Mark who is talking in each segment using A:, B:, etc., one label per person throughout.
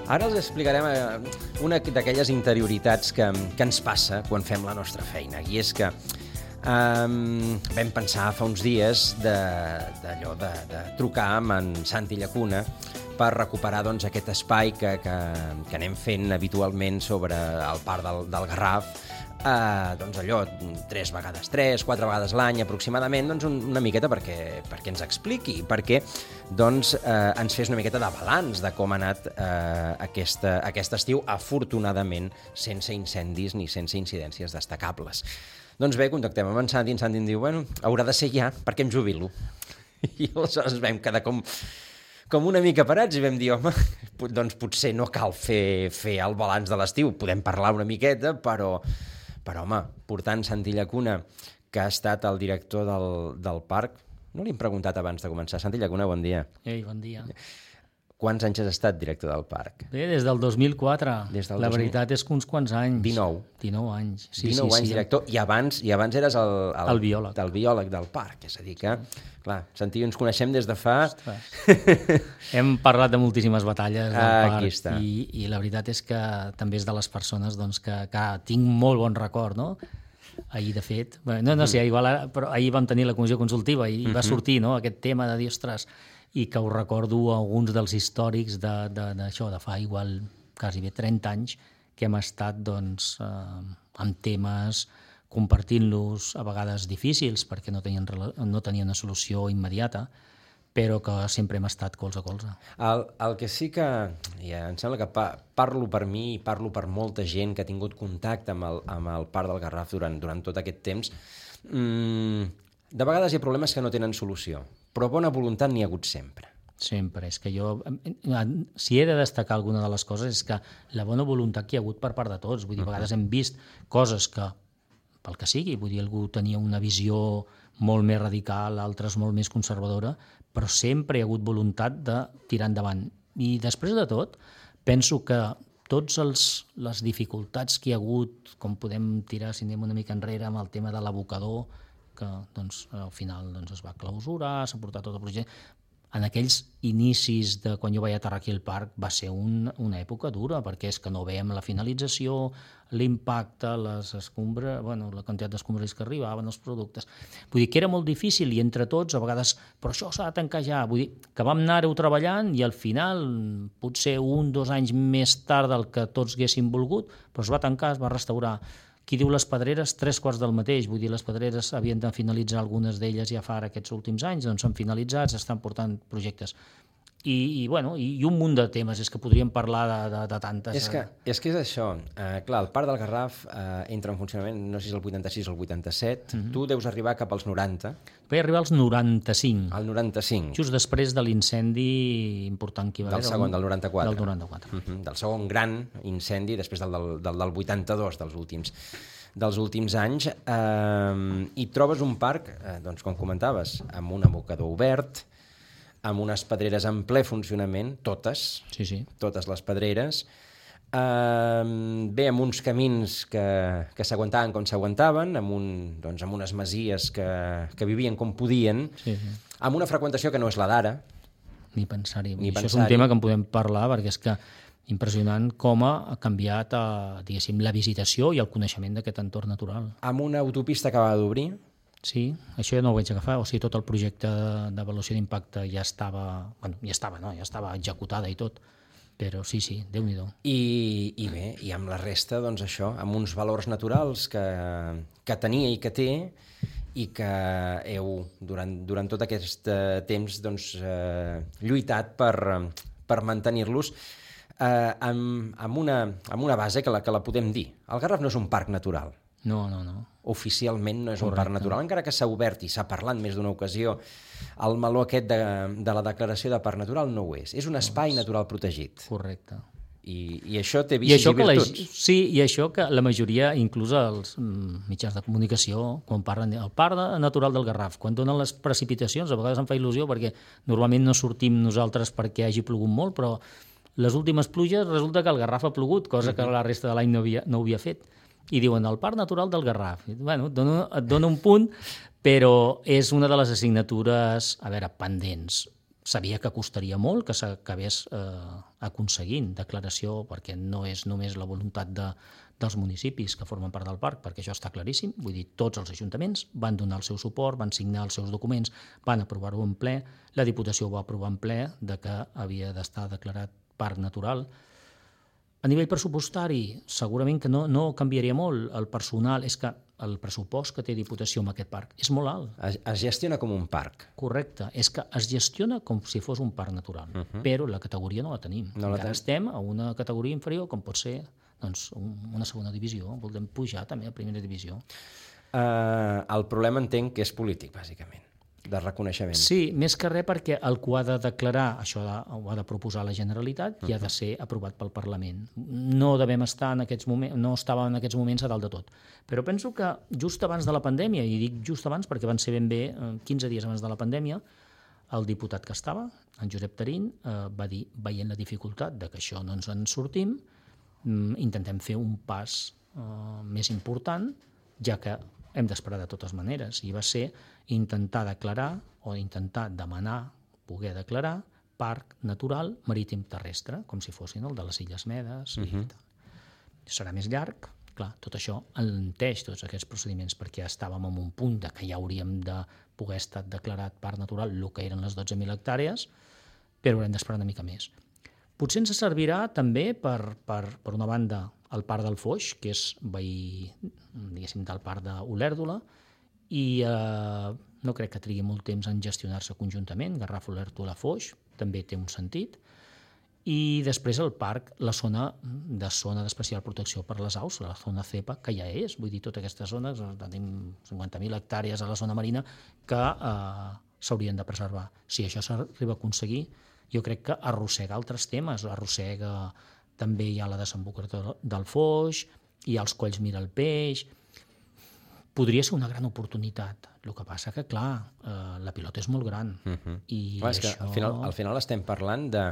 A: Ara els explicarem una d'aquelles interioritats que ens passa quan fem la nostra feina. I és que vam pensar fa uns dies d'allò de trucar amb en Santi Llacuna per recuperar doncs, aquest espai que anem fent habitualment sobre el Parc del Garraf, doncs allò, 4 vegades l'any aproximadament, doncs una miqueta perquè ens expliqui, perquè doncs, ens fes una miqueta de balanç de com ha anat aquest estiu, afortunadament sense incendis ni sense incidències destacables. Doncs bé, contactem amb en Santi em diu, bueno, haurà de ser ja, perquè em jubilo. I aleshores vam quedar com una mica parats i vam dir, home, doncs potser no cal fer el balanç de l'estiu, podem parlar una miqueta, però home, portant Santi Llacuna, que ha estat el director del parc, no li hem preguntat abans de començar. Santi Llacuna, bon dia.
B: Ei, bon dia.
A: Quants anys has estat director del parc?
B: Bé, des del 2004. La veritat és que uns quants anys.
A: 19.
B: 19 anys. Sí,
A: 19 anys director, i abans eres el
B: biòleg.
A: El biòleg del parc, és a dir que, clar, Santi, ens coneixem des de fa...
B: Hem parlat de moltíssimes batalles del parc.
A: Aquí està.
B: I la veritat és que també és de les persones doncs, que tinc molt bon record, no? Ahir, de fet, no sé, igual, però ahir vam tenir la comissió consultiva i va sortir, no?, aquest tema de dir, ostres, i que ho recordo alguns dels històrics d'això, de fa igual quasi bé 30 anys que hem estat doncs, amb temes, compartint-los a vegades difícils perquè no tenien una solució immediata, però que sempre hem estat colze a colze.
A: El que sí que, em sembla que parlo per mi i parlo per molta gent que ha tingut contacte amb el Parc del Garraf durant tot aquest temps, de vegades hi ha problemes que no tenen solució, però bona voluntat n'hi ha hagut sempre.
B: Sempre. És que jo, si he de destacar alguna de les coses, és que la bona voluntat que hi ha hagut per part de tots. Vull dir, a vegades hem vist coses que, pel que sigui, vull dir, algú tenia una visió molt més radical, altres molt més conservadora, però sempre hi ha hagut voluntat de tirar endavant. I després de tot, penso que totes les dificultats que hi ha hagut, com podem tirar, si anem una mica enrere, amb el tema de l'abocador, que doncs, al final doncs, es va clausurar, s'ha portat tot el projecte. En aquells inicis de quan jo vaig aterrar aquí al parc va ser una època dura, perquè és que no veiem la finalització, l'impacte, les escombres, bueno, la quantitat d'escombres que arribaven, els productes. Vull dir que era molt difícil i entre tots, a vegades, però això s'ha de tancar ja. Vull dir que vam anar-ho treballant i al final, potser 1 o 2 anys més tard del que tots haguéssim volgut, però es va tancar, es va restaurar. Qui diu les Pedreres, 3/4 del mateix. Vull dir, les Pedreres havien de finalitzar algunes d'elles ja fa aquests últims anys, doncs s'han finalitzat, s'estan portant projectes. I un munt de temes, és que podríem parlar de tantes...
A: És que és això. Clar, el Parc del Garraf entra en funcionament, no sé si és el 86 o el 87, tu deus arribar cap als 90.
B: Vaig arribar als 95.
A: Al 95.
B: Just després de l'incendi important que hi va haver.
A: Del segon, del 94.
B: Del 94.
A: Del segon gran incendi, després del 82, dels últims anys, i trobes un parc, doncs, com comentaves, amb un abocador obert, amb unes pedreres en ple funcionament, totes, totes les pedreres, bé, amb uns camins que s'aguantaven com s'aguantaven, amb unes masies que vivien com podien, amb una freqüentació que no és la d'ara.
B: Ni pensar-hi. Això és un tema que en podem parlar, perquè és que impressionant com ha canviat, diguéssim, la visitació i el coneixement d'aquest entorn natural.
A: Amb una autopista que acaba d'obrir.
B: Sí, això ja no ho vaig agafar, o sigui, tot el projecte d'avaluació d'impacte ja estava executada i tot, però sí, Déu-n'hi-do.
A: I bé, i amb la resta, doncs això, amb uns valors naturals que tenia i que té, i que heu, durant tot aquest temps, doncs, lluitat per mantenir-los amb una base que la podem dir. El Garraf no és un parc natural.
B: No.
A: Oficialment no és un parc natural, encara que s'ha obert i s'ha parlat més d'una ocasió, el meló aquest de la declaració de parc natural no ho és. És un espai natural protegit.
B: Correcte.
A: I això té vicis i virtuts.
B: Sí, i això que la majoria, inclús els mitjans de comunicació, quan parlen del parc natural del Garraf, quan donen les precipitacions, a vegades em fa il·lusió perquè normalment no sortim nosaltres perquè hagi plogut molt, però les últimes pluges resulta que el Garraf ha plogut, cosa que la resta de l'any no havia fet. I diuen el Parc Natural del Garraf. Bueno, et dona un punt, però és una de les assignatures, pendents. sabia que costaria molt que s'acabés aconseguint declaració, perquè no és només la voluntat dels municipis que formen part del parc, perquè això està claríssim, vull dir, tots els ajuntaments van donar el seu suport, van signar els seus documents, van aprovar-ho en ple, la Diputació ho va aprovar en ple de que havia d'estar declarat parc natural. A nivell pressupostari, segurament que no canviaria molt. El personal, és que el pressupost que té Diputació amb aquest parc és molt alt.
A: Es gestiona com un parc.
B: Correcte, és que es gestiona com si fos un parc natural, però la categoria no la tenim. Encara estem a una categoria inferior, com pot ser una segona divisió, volem pujar també a primera divisió.
A: El problema entenc que és polític, bàsicament, de reconeixement.
B: Sí, més que res perquè el que ho ha de declarar, això ho ha de proposar la Generalitat i ha de ser aprovat pel Parlament. No devem estar en aquests moments, no estava en aquests moments a dalt de tot. Però penso que just abans de la pandèmia, i dic just abans perquè van ser ben bé 15 dies abans de la pandèmia, el diputat que estava, en Josep Tarín, va dir, veient la dificultat de que això no ens en sortim, intentem fer un pas més important, ja que hem d'esperar de totes maneres, i va ser intentar declarar o intentar demanar, poder declarar, parc natural marítim terrestre, com si fossin el de les Illes Medes i tal. Serà més llarg, clar, tot això alenteix tots aquests procediments, perquè estàvem en un punt de que ja hauríem de poder estar declarat parc natural el que eren les 12.000 hectàrees, però haurem d'esperar una mica més. Potser ens servirà també, per una banda, el parc del Foix, que és veí, diguéssim, del parc d'Olèrdola, i no crec que trigui molt temps en gestionar-se conjuntament. Garraf, Olèrdola, Foix, també té un sentit. I després el parc, la zona d'especial protecció per les aus, la zona CEPA, que ja és, vull dir, totes aquestes zones, tenim 50.000 hectàrees a la zona marina que s'haurien de preservar. Si això s'arriba a aconseguir, jo crec que arrossega altres temes, també hi ha la desembocadura del Foix, hi ha els colls Mira el Peix. Podria ser una gran oportunitat. El que passa que, clar, la pilota és molt gran. I
A: clar, és que al final estem parlant de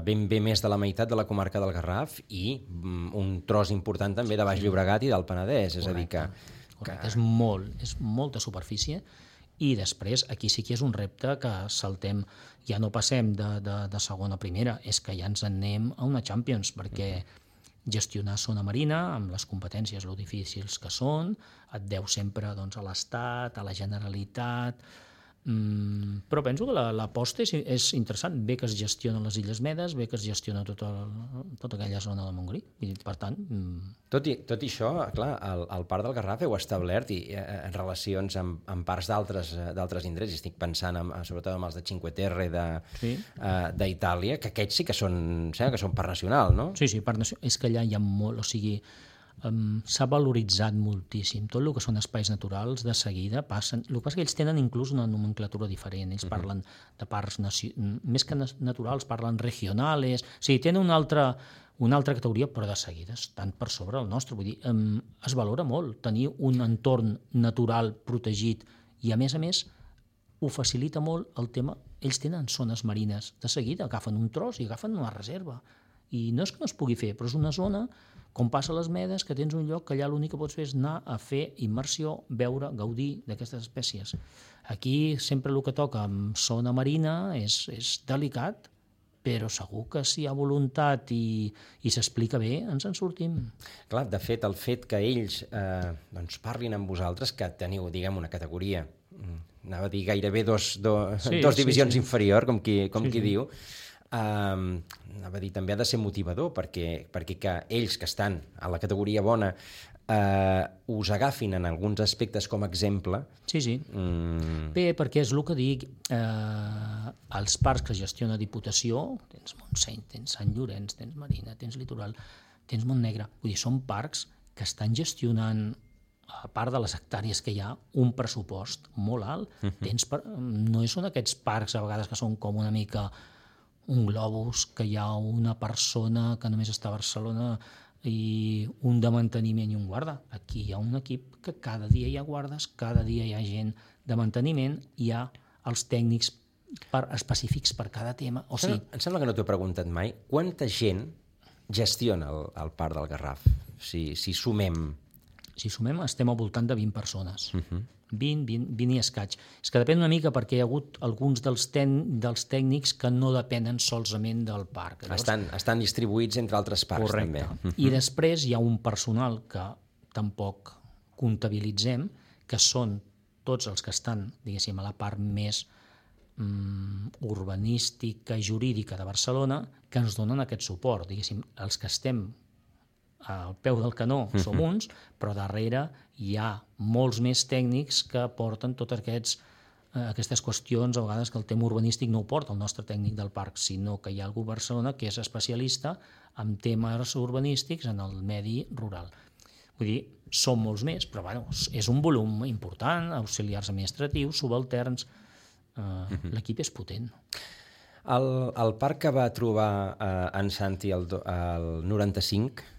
A: ben bé més de la meitat de la comarca del Garraf i un tros important també de Baix Llobregat i del Penedès. És a dir que...
B: Correcte, és molta superfície. I després, aquí sí que és un repte que saltem, ja no passem de segona a primera, és que ja ens en anem a una Champions, perquè gestionar zona marina, amb les competències lo difícils que són, et deu sempre a l'Estat, a la Generalitat, però penso que l'aposta és interessant. Bé que es gestiona les Illes Medes, bé que es gestiona tota aquella zona de Montgrí. I, per tant...
A: Tot i això, clar, el Parc del Garraf heu establert en relacions amb parts d'altres indrets, estic pensant sobretot amb els de Cinque Terre d'Itàlia, que aquests sí que són parc nacional, no?
B: Sí, parc nacional. És que allà hi ha molt, o sigui... s'ha valoritzat moltíssim. Tot el que són espais naturals, de seguida passen... El que passa és que ells tenen inclús una nomenclatura diferent. Ells parlen de parcs més que naturals, parlen regionales. O sigui, tenen una altra categoria, però de seguida estan per sobre el nostre. Vull dir, es valora molt tenir un entorn natural protegit i, a més, ho facilita molt el tema. Ells tenen zones marines. De seguida agafen un tros i agafen una reserva. I no és que no es pugui fer, però és una zona, com passa a les Medes, que tens un lloc que allà l'únic que pots fer és anar a fer immersió, veure, gaudir d'aquestes espècies. Aquí sempre el que toca amb zona marina és delicat, però segur que si hi ha voluntat i s'explica bé, ens en sortim.
A: Clar, de fet, el fet que ells parlin amb vosaltres, que teniu, diguem, una categoria, anava a dir gairebé dos divisions inferior, com qui diu, anava a dir, també ha de ser motivador perquè que ells que estan a la categoria bona us agafin en alguns aspectes com a exemple.
B: Sí. Bé, perquè és el que dic, els parcs que gestiona Diputació, tens Montseny, tens Sant Llorenç, tens Marina, tens Litoral, tens Montnegre, vull dir, són parcs que estan gestionant, a part de les hectàrees que hi ha, un pressupost molt alt. No són aquests parcs a vegades que són com una mica un globus, que hi ha una persona que només està a Barcelona i un de manteniment i un guarda. Aquí hi ha un equip que cada dia hi ha guardes, cada dia hi ha gent de manteniment, hi ha els tècnics específics per cada tema. O sigui...
A: Em sembla que no t'ho he preguntat mai. Quanta gent gestiona el Parc del Garraf? Si sumem...
B: Si sumem, estem al voltant de 20 persones. 20 i escaig. És que depèn una mica perquè hi ha hagut alguns dels tècnics que no depenen solament del parc.
A: Llavors, estan distribuïts entre altres parcs,
B: correcte.
A: també.
B: I després hi ha un personal que tampoc comptabilitzem, que són tots els que estan, diguéssim, a la part més urbanística i jurídica de Barcelona, que ens donen aquest suport. Diguéssim, els que estem al peu del canó som uns, però darrere hi ha molts més tècnics que porten totes aquestes qüestions, a vegades que el tema urbanístic no ho porta el nostre tècnic del parc, sinó que hi ha algú a Barcelona que és especialista en temes urbanístics en el medi rural. Vull dir, som molts més, però bueno, és un volum important, auxiliars administratius, subalterns, l'equip és potent.
A: El parc que va trobar en Santi el 95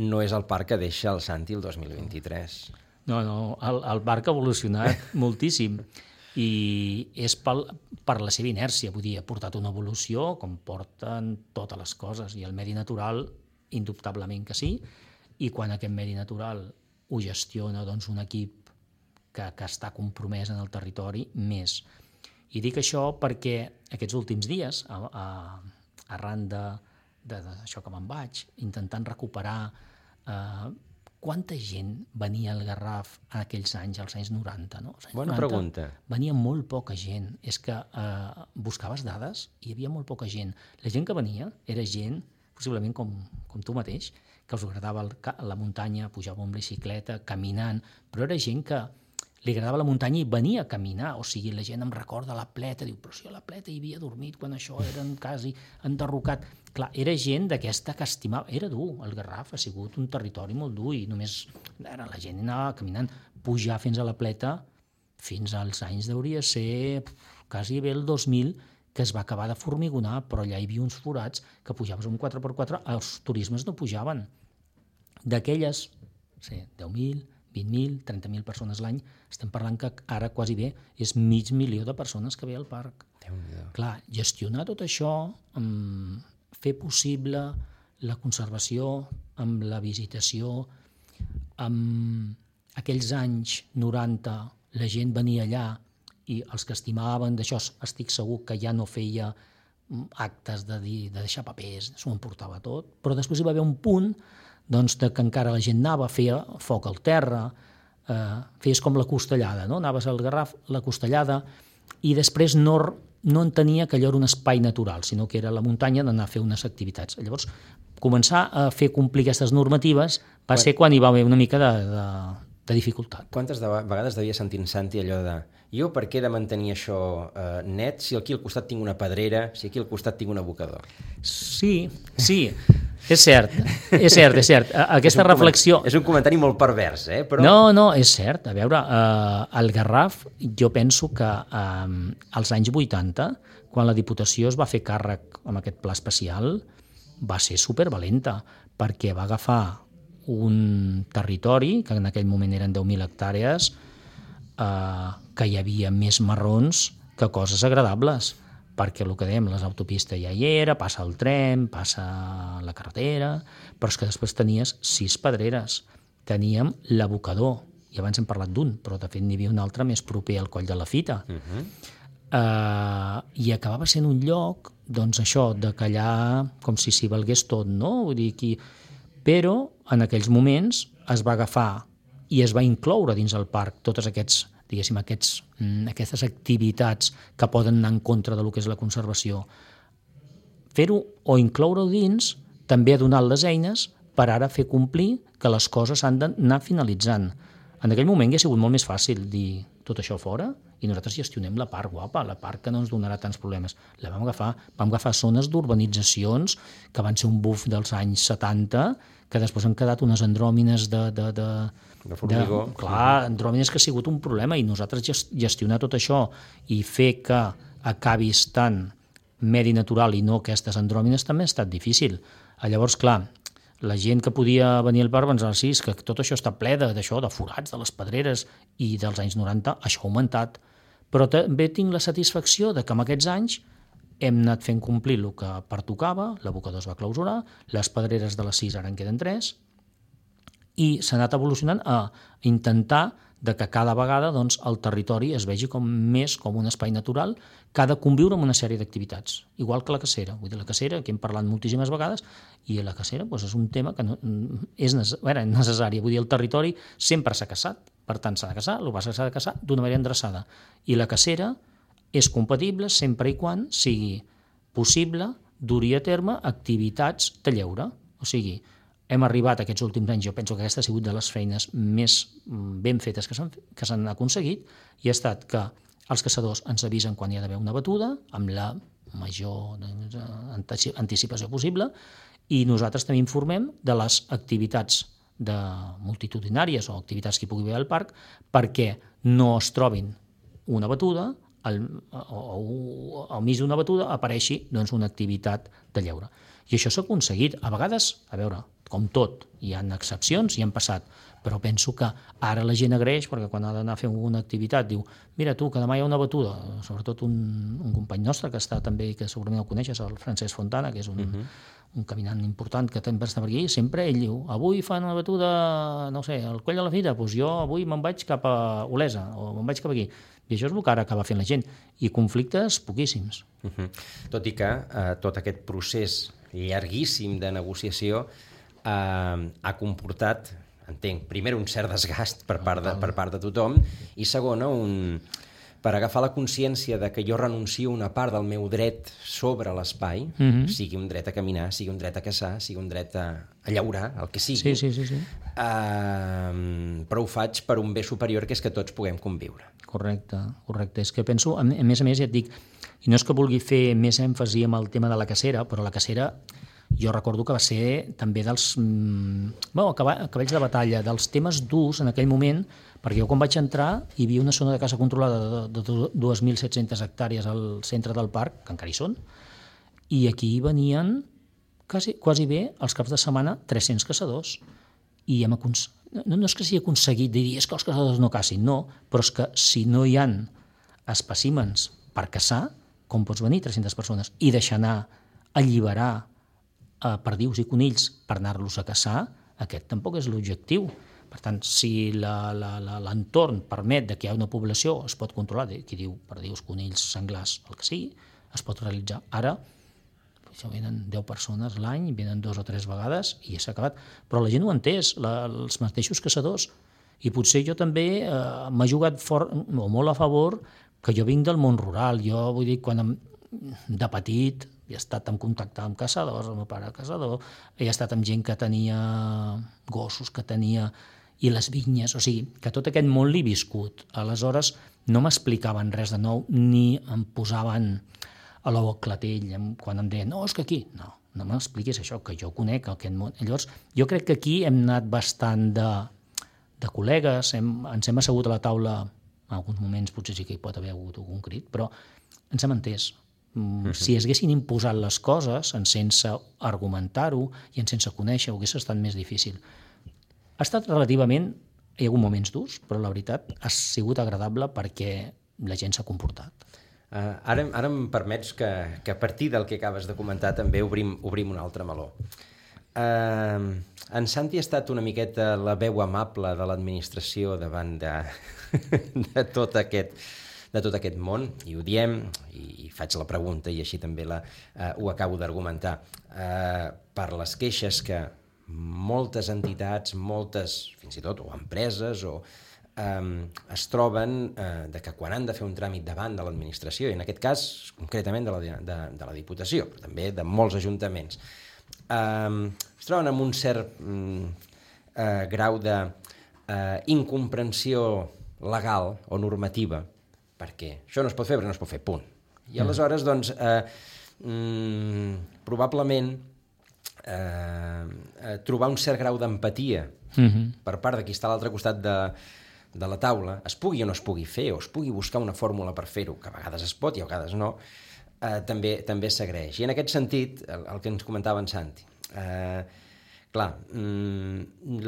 A: no és el parc que deixa el Santi el 2023.
B: No, el parc ha evolucionat moltíssim i és per la seva inèrcia, vull dir, ha portat una evolució com porten totes les coses, i el medi natural indubtablement que sí, i quan aquest medi natural ho gestiona doncs, un equip que està compromès en el territori, més. I dic això perquè aquests últims dies, arran d'això que me'n vaig, intentant recuperar quanta gent venia al Garraf en aquells anys, als anys 90, no? Als anys
A: Bona
B: 90,
A: pregunta.
B: Venia molt poca gent. És que buscaves dades i hi havia molt poca gent. La gent que venia era gent, possiblement com tu mateix, que us agradava la muntanya, pujava amb bicicleta, caminant, però era gent que li agradava la muntanya i venia a caminar. O sigui, la gent em recorda la Pleta, diu, però si a la Pleta hi havia dormit quan això era quasi enderrocat. Clar, era gent d'aquesta que estimava. Era dur, el Garraf ha sigut un territori molt dur i només la gent anava caminant. Pujar fins a la Pleta, fins als anys deuria ser quasi bé el 2000, que es va acabar de formigonar, però allà hi havia uns forats que pujaves un 4x4, els turismes no pujaven. D'aquelles, 10.000, 20.000, 30.000 persones l'any, estem parlant que ara quasi bé és 500.000 de persones que ve al parc. Clar, gestionar tot això, fer possible la conservació, amb la visitació, amb aquells anys 90 la gent venia allà i els que estimaven d'això estic segur que ja no feia actes de deixar papers, s'ho emportava tot, però després hi va haver un punt doncs, que encara la gent anava, feia foc al terra, feies com la costellada, no? Anaves al Garraf, la costellada, i després no entenia que allò era un espai natural, sinó que era la muntanya d'anar a fer unes activitats. Llavors, començar a fer complir aquestes normatives va ser quan hi va haver una mica de dificultat.
A: Quantes vegades devia sentir en Santi allò de jo per què he de mantenir això net si aquí al costat tinc una pedrera, si aquí al costat tinc un abocador?
B: Sí, és cert. Aquesta reflexió...
A: És un comentari molt pervers, però...
B: No, és cert. A veure, el Garraf, jo penso que als anys 80, quan la Diputació es va fer càrrec amb aquest pla especial, va ser supervalenta, perquè va agafar un territori, que en aquell moment eren 10.000 hectàrees, que hi havia més marrons que coses agradables, perquè el que dèiem, les autopistes ja hi era, passa el tren, passa la carretera, però és que després tenies 6 pedreres, teníem l'abocador, i abans hem parlat d'un, però de fet n'hi havia un altre més proper al Coll de la Fita, i acabava sent un lloc, doncs això, de callar com si s'hi valgués tot, no? Vull dir, però en aquells moments es va agafar i es va incloure dins el parc totes aquestes activitats que poden anar en contra del que és la conservació. Fer-ho o incloure-ho dins també ha donat les eines per ara fer complir que les coses han d'anar finalitzant. En aquell moment hauria sigut molt més fàcil dir tot això fora i nosaltres gestionem la part guapa, la part que no ens donarà tants problemes. Vam agafar zones d'urbanitzacions que van ser un buf dels anys 70, que després han quedat unes andròmines
A: de formigó.
B: Clar, andròmines que ha sigut un problema i nosaltres gestionar tot això i fer que acabi estant medi natural i no aquestes andròmines també ha estat difícil. Llavors, clar, la gent que podia venir al parc pensava, sí, és que tot això està ple d'això, de forats, de les pedreres, i dels anys 90 això ha augmentat. Però també tinc la satisfacció de que en aquests anys hem anat fent complir el que pertocava, l'abocador es va clausurar, les pedreres de les 6 ara en queden 3, i s'ha anat evolucionant a intentar de que cada vegada doncs, el territori es vegi més com un espai natural que ha de conviure amb una sèrie d'activitats, igual que la cacera. Vull dir, la cacera, que hem parlat moltíssimes vegades, i la cacera doncs, és un tema que és necessari. Vull dir, el territori sempre s'ha caçat, per tant s'ha de caçar, el que passa que s'ha de caçar d'una manera endreçada. I la cacera és compatible sempre i quan sigui possible dur-hi a terme activitats de lleure. O sigui, hem arribat aquests últims anys, jo penso que aquesta ha sigut de les feines més ben fetes que s'han aconseguit, i ha estat que els caçadors ens avisen quan hi ha d'haver una batuda, amb la major anticipació possible, i nosaltres també informem de les activitats multitudinàries o activitats que hi pugui haver al parc perquè no es trobin una batuda o al mig d'una batuda apareixi doncs, una activitat de lleure. I això s'ha aconseguit. A vegades, a veure, com tot, hi ha excepcions i han passat, però penso que ara la gent agraeix perquè quan ha d'anar a fer alguna activitat diu, mira tu, que demà hi ha una batuda, sobretot un company nostre que està també, que segurament el coneixes, el Francesc Fontana, que és un caminant important que també està per aquí, sempre ell diu, avui fan una batuda, no sé, al Coll de la Fira, doncs jo avui me'n vaig cap a Olesa o me'n vaig cap aquí. I això és el que ara acaba fent la gent. I conflictes poquíssims.
A: Tot i que tot aquest procés llarguíssim de negociació ha comportat, entenc, primer un cert desgast per part de tothom i segona, per agafar la consciència de que jo renuncio a una part del meu dret sobre l'espai, sigui un dret a caminar, sigui un dret a caçar, sigui un dret a llaurar, el que sigui,
B: sí.
A: Però ho faig per un bé superior, que és que tots puguem conviure.
B: Correcte. És que penso, a més, ja et dic, i no és que vulgui fer més èmfasi en el tema de la cacera, però la cacera jo recordo que va ser també dels cavalls de batalla, dels temes durs en aquell moment, perquè jo quan vaig entrar hi havia una zona de caça controlada de 2.700 hectàrees al centre del parc, que encara hi són, i aquí venien quasi bé els caps de setmana 300 caçadors, i no és que s'hi aconseguit dir és que els caçadors no cacin, no, però és que si no hi han espècimens per caçar, com pots venir 300 persones i deixar anar, alliberar perdius i conills per anar-los a caçar, aquest tampoc és l'objectiu. Per tant, si l'entorn permet que hi ha una població, es pot controlar, qui diu perdius, conills, senglars, el que sigui, es pot realitzar. Ara, venen 10 persones l'any, venen 2 o 3 vegades i ja s'ha acabat. Però la gent ho ha entès, els mateixos caçadors. I potser jo també m'ha jugat molt a favor que jo vinc del món rural. Jo vull dir, de petit he estat en contacte amb caçadors, el meu pare caçador, he estat amb gent que tenia gossos, que tenia... i les vinyes, o sigui, que tot aquest món l'he viscut. Aleshores, no m'explicaven res de nou, ni em posaven a l'ou al clatell, quan em deien, no, és que aquí... No m'expliquis això, que jo conec aquest món. Llavors, jo crec que aquí hem anat bastant de col·legues, ens hem assegut a la taula, en alguns moments potser sí que hi pot haver hagut algun crit, però ens hem entès. Si es haguessin imposat les coses sense argumentar-ho i sense conèixer, ho hagués estat més difícil. Ha estat relativament, hi ha hagut moments durs, però la veritat ha sigut agradable perquè la gent s'ha comportat.
A: Ara em permets que a partir del que acabes de comentar també obrim un altre meló. En Santi ha estat una miqueta la veu amable de l'administració davant de tot aquest món, i ho diem, i faig la pregunta i així també ho acabo d'argumentar, per les queixes que moltes entitats, fins i tot, o empreses, es troben de que quan han de fer un tràmit davant de l'administració, i en aquest cas concretament de la Diputació, però també de molts ajuntaments, es troben amb un cert grau d'incomprensió legal o normativa, perquè això no es pot fer, però no es pot fer, punt. I aleshores, doncs, probablement trobar un cert grau d'empatia per part de qui està a l'altre costat de la taula, es pugui o no es pugui fer, o es pugui buscar una fórmula per fer-ho, que a vegades es pot i a vegades no, també s'agraeix. I en aquest sentit, el que ens comentava en Santi, Clar,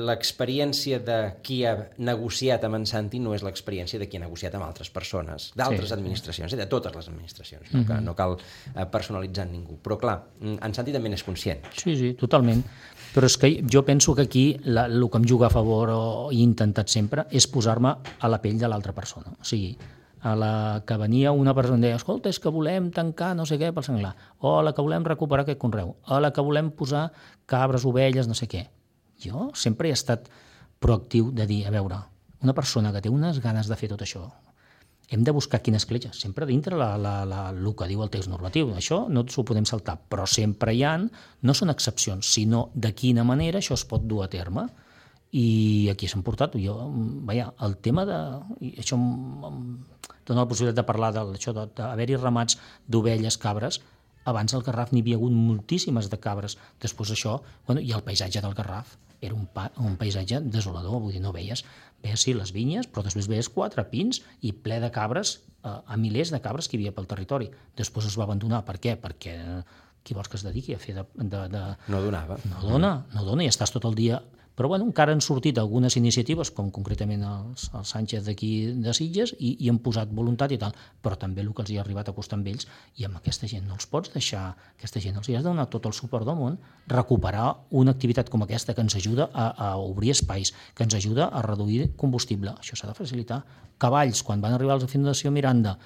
A: l'experiència de qui ha negociat amb en Santi no és l'experiència de qui ha negociat amb altres persones, d'altres administracions, de totes les administracions, no cal personalitzar ningú. Però clar, en Santi també n'és conscient.
B: Sí, totalment. Però és que jo penso que aquí el que em juga a favor o he intentat sempre és posar-me a la pell de l'altra persona. O sigui, a la que venia una persona i deia, escolta, és que volem tancar no sé què pel senglar, o a la que volem recuperar aquest conreu, a la que volem posar cabres, ovelles, no sé què. Jo sempre he estat proactiu de dir, a veure, una persona que té unes ganes de fer tot això, hem de buscar quina escletxa, sempre dintre el que diu el text normatiu. Això no s'ho podem saltar, però sempre hi ha, no són excepcions, sinó de quina manera això es pot dur a terme. I aquí s'han portat, el tema de... Això em dona la possibilitat de parlar d'haver-hi ramats d'ovelles, cabres. Abans al Garraf n'hi havia hagut moltíssimes de cabres. Després això, i el paisatge del Garraf era un paisatge desolador, vull dir, no veies sí les vinyes, però després veies 4 pins i ple de cabres, a milers de cabres que hi havia pel territori. Després es va abandonar. Per què? Perquè qui vols que es dediqui a fer de...
A: No donava.
B: No dona i estàs tot el dia... Però encara han sortit algunes iniciatives, com concretament el Sánchez d'aquí de Sitges, i han posat voluntat i tal, però també el que els hi ha arribat a costar amb ells, i amb aquesta gent no els pots deixar, aquesta gent els hi has de donar tot el suport del món, recuperar una activitat com aquesta que ens ajuda a obrir espais, que ens ajuda a reduir combustible. Això s'ha de facilitar. Cavalls, quan van arribar a la Fundació Miranda,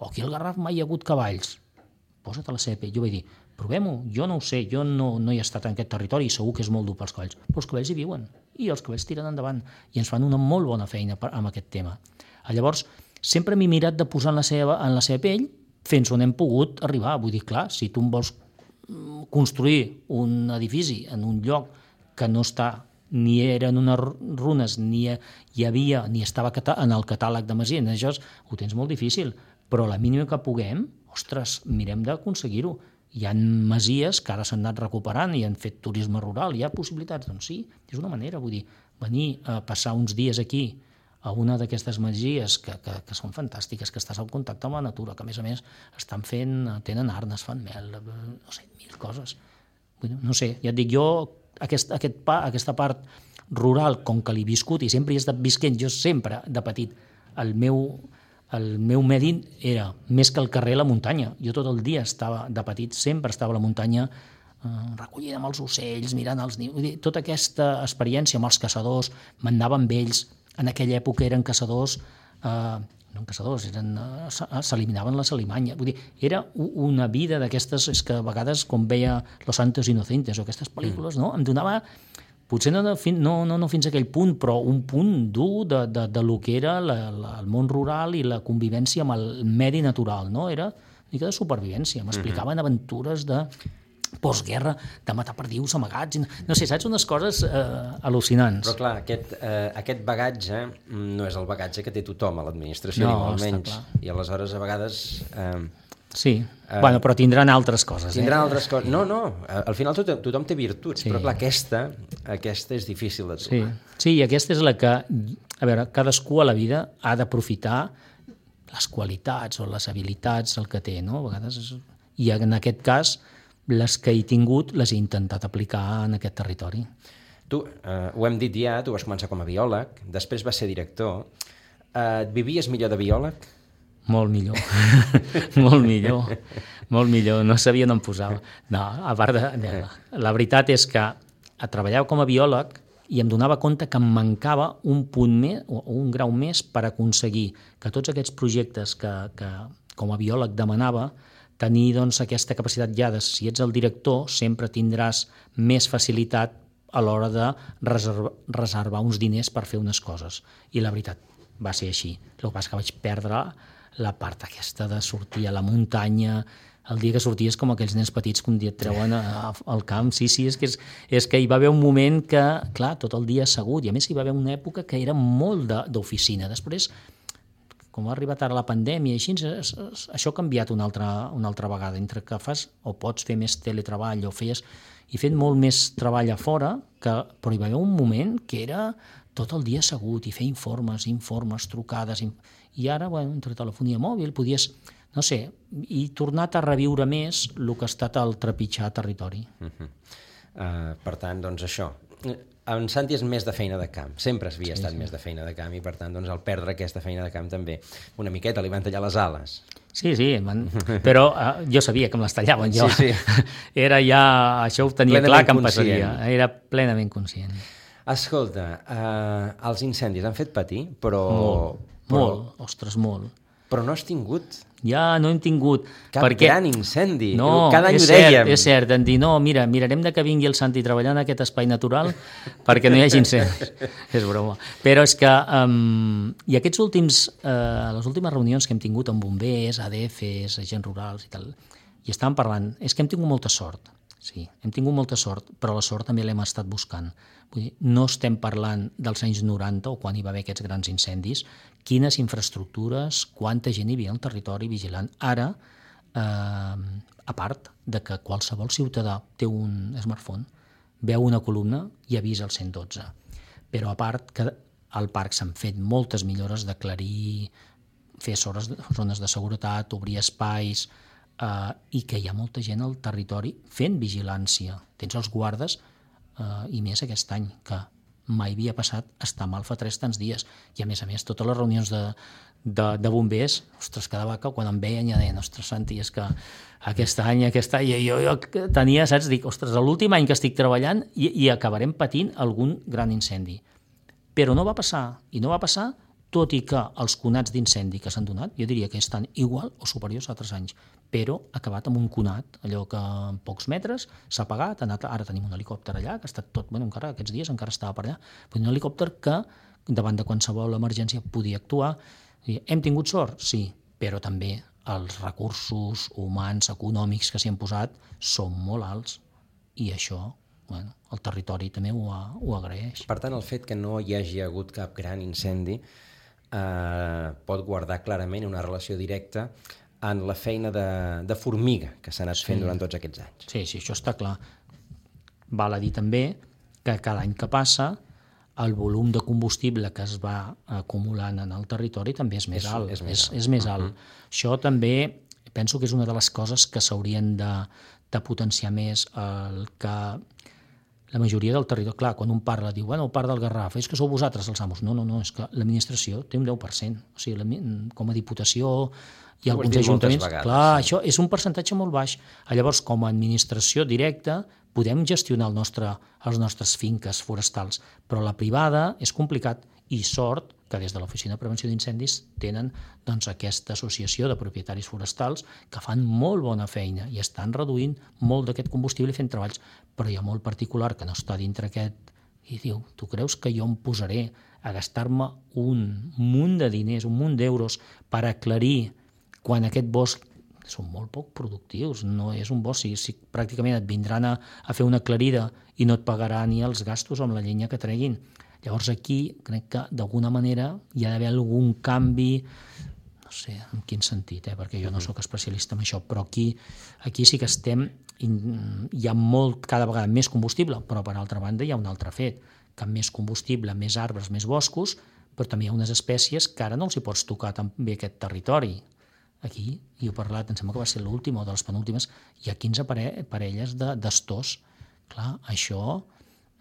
B: aquí al Garraf mai hi ha hagut cavalls, posa't a la CP. Jo vaig dir, provem-ho, jo no ho sé, jo no hi he estat en aquest territori i segur que és molt dur pels cavalls, però els cavalls hi viuen i els cavalls tiren endavant i ens fan una molt bona feina amb aquest tema. Llavors, sempre m'he mirat de posar en la seva pell fins on hem pogut arribar. Vull dir, clar, si tu em vols construir un edifici en un lloc que no està, ni eren unes runes, ni hi havia, ni estava en el catàleg de Masia, això ho tens molt difícil, però la mínima que puguem, ostres, mirem d'aconseguir-ho. Hi ha masies que ara s'han anat recuperant i han fet turisme rural, hi ha possibilitats, doncs sí, és una manera, vull dir, venir a passar uns dies aquí a una d'aquestes masies que són fantàstiques, que estàs en contacte amb la natura, que a més estan tenen arnes, fan mel, no sé, 1000 coses. No sé, ja et dic, jo aquesta part rural, com que l'he viscut i sempre he estat visquent, jo sempre de petit, el meu medi era més que el carrer la muntanya. Jo tot el dia estava, de petit, sempre estava a la muntanya recollida amb els ocells, mirant els nius. Vull dir, tota aquesta experiència amb els caçadors, m'anava amb ells. En aquella època eren caçadors, s'eliminaven les alimanyes. Vull dir, era una vida d'aquestes, és que a vegades, com veia Los Santos Inocentes o aquestes pel·lícules, no? Em donava, potser no fins a aquell punt, però un punt dur de lo que era el món rural i la convivència amb el medi natural, no? Era una mica de supervivència. M'explicaven aventures de postguerra, de matar perdius amagats, no sé, saps, unes coses al·lucinants.
A: Però clar, aquest bagatge no és el bagatge que té tothom a l'administració, ni molt menys. I aleshores, a vegades...
B: Sí, però tindran altres coses.
A: Tindran altres coses. No, al final tothom té virtuts, però clar, aquesta és difícil de trobar.
B: Sí, i aquesta és la que, a veure, cadascú a la vida ha d'aprofitar les qualitats o les habilitats, el que té, no? A vegades, i en aquest cas, les que he tingut les he intentat aplicar en aquest territori.
A: Tu, ho hem dit ja, tu vas començar com a biòleg, després vas ser director. Et vivies millor de biòleg?
B: Molt millor, molt millor, no sabia on em posava. No, a part la veritat és que treballava com a biòleg i em donava compte que em mancava un punt més, o un grau més per aconseguir que tots aquests projectes que com a biòleg demanava, tenir doncs, aquesta capacitat ja de, si ets el director, sempre tindràs més facilitat a l'hora de reservar uns diners per fer unes coses. I la veritat, va ser així. El que passa que vaig perdre la part aquesta de sortir a la muntanya, el dia que sorties com aquells nens petits que un dia et treuen al camp. Sí, és que hi va haver un moment que, clar, tot el dia assegut, i a més hi va haver una època que era molt d'oficina. Després, com ha arribat ara la pandèmia, així, això ha canviat una altra vegada, entre que fas o pots fer més teletreball o he fet molt més treball a fora, però hi va haver un moment que era tot el dia assegut i fer informes, trucades, i ara, entre telefonia mòbil, podies, no sé, i tornat a reviure més el que ha estat el trepitjar territori.
A: Per tant, doncs això. En Santi és més de feina de camp, sempre havia estat més de feina de camp i per tant, doncs, al perdre aquesta feina de camp també una miqueta li van tallar les ales.
B: Sí, però jo sabia que me les tallaven jo.
A: Sí.
B: Era ja, això ho tenia
A: Plenament
B: clar que em
A: conscient.
B: passaria, era plenament conscient.
A: Escolta, els incendis han fet patir, però...
B: Molt, ostres, molt.
A: Però no has tingut
B: Ja no hem tingut...
A: cap gran incendi.
B: No,
A: cada any ho
B: cert,
A: dèiem.
B: és cert, en dir, no, mira, mirarem de que vingui el Santi treballant en aquest espai natural perquè no hi hagi incendis. És broma. Però és que, i aquests les últimes reunions que hem tingut amb bombers, ADFs, agents rurals i tal, i estàvem parlant, és que hem tingut molta sort. Sí, hem tingut molta sort, però la sort també l'hem estat buscant. Vull dir, no estem parlant dels anys 90 o quan hi va haver aquests grans incendis, quines infraestructures, quanta gent hi havia al territori vigilant. Ara, a part de que qualsevol ciutadà té un smartphone, veu una columna i avisa el 112. Però a part que al parc s'han fet moltes millores d'aclarir, fer zones de seguretat, obrir espais, i que hi ha molta gent al territori fent vigilància. Tens els guardes, i més aquest any, que mai havia passat estar mal fa 3 tants dies. I a més, totes les reunions de bombers, ostres, cada vaca, quan em veien ja deien, ostres, Santi, és que aquest any, jo tenia, saps, dic, ostres, l'últim any que estic treballant i acabarem patint algun gran incendi. Però no va passar, i no va passar tot i que els conats d'incendi que s'han donat, jo diria que estan igual o superiors a altres anys, però ha acabat amb un conat, allò que en pocs metres s'ha apagat, ara tenim un helicòpter allà, que ha estat tot, encara aquests dies encara estava per allà, un helicòpter que davant de qualsevol emergència podia actuar. Hem tingut sort? Sí, però també els recursos humans, econòmics que s'hi han posat són molt alts i això el territori també ho agraeix.
A: Per tant, el fet que no hi hagi hagut cap gran incendi pot guardar clarament una relació directa en la feina de formiga que s'ha anat fent durant tots aquests anys.
B: Sí, això està clar. Val a dir també que cada any que passa el volum de combustible que es va acumulant en el territori també és més alt. És més alt. Això també penso que és una de les coses que s'haurien de potenciar més, el que la majoria del territori, clar, quan un parla, diu, el parc del Garraf, és que sou vosaltres els amos. No, és que l'administració té un 10%. O sigui, com a diputació i alguns ajuntaments, clar, això és un percentatge molt baix. Llavors, com a administració directa, podem gestionar els nostres finques forestals, però la privada és complicat i sort que des de l'Oficina de Prevenció d'Incendis tenen aquesta associació de propietaris forestals que fan molt bona feina i estan reduint molt d'aquest combustible i fent treballs, però hi ha molt particular que no està dintre aquest i diu, tu creus que jo em posaré a gastar-me un munt de diners, un munt d'euros per aclarir quan aquest bosc són molt poc productius, no és un bosc, si pràcticament et vindran a fer una aclarida i no et pagarà ni els gastos amb la llenya que treguin. Llavors aquí crec que d'alguna manera hi ha d'haver algun canvi, no sé en quin sentit, perquè jo no sóc especialista en això, però aquí sí que estem, hi ha cada vegada més combustible, però per altra banda hi ha un altre fet, que amb més combustible, més arbres, més boscos, però també hi ha unes espècies que ara no els hi pots tocar tan bé aquest territori. Aquí, i he parlat, em sembla que va ser l'última o de les penúltimes, hi ha 15 parelles d'astors. Clar, això,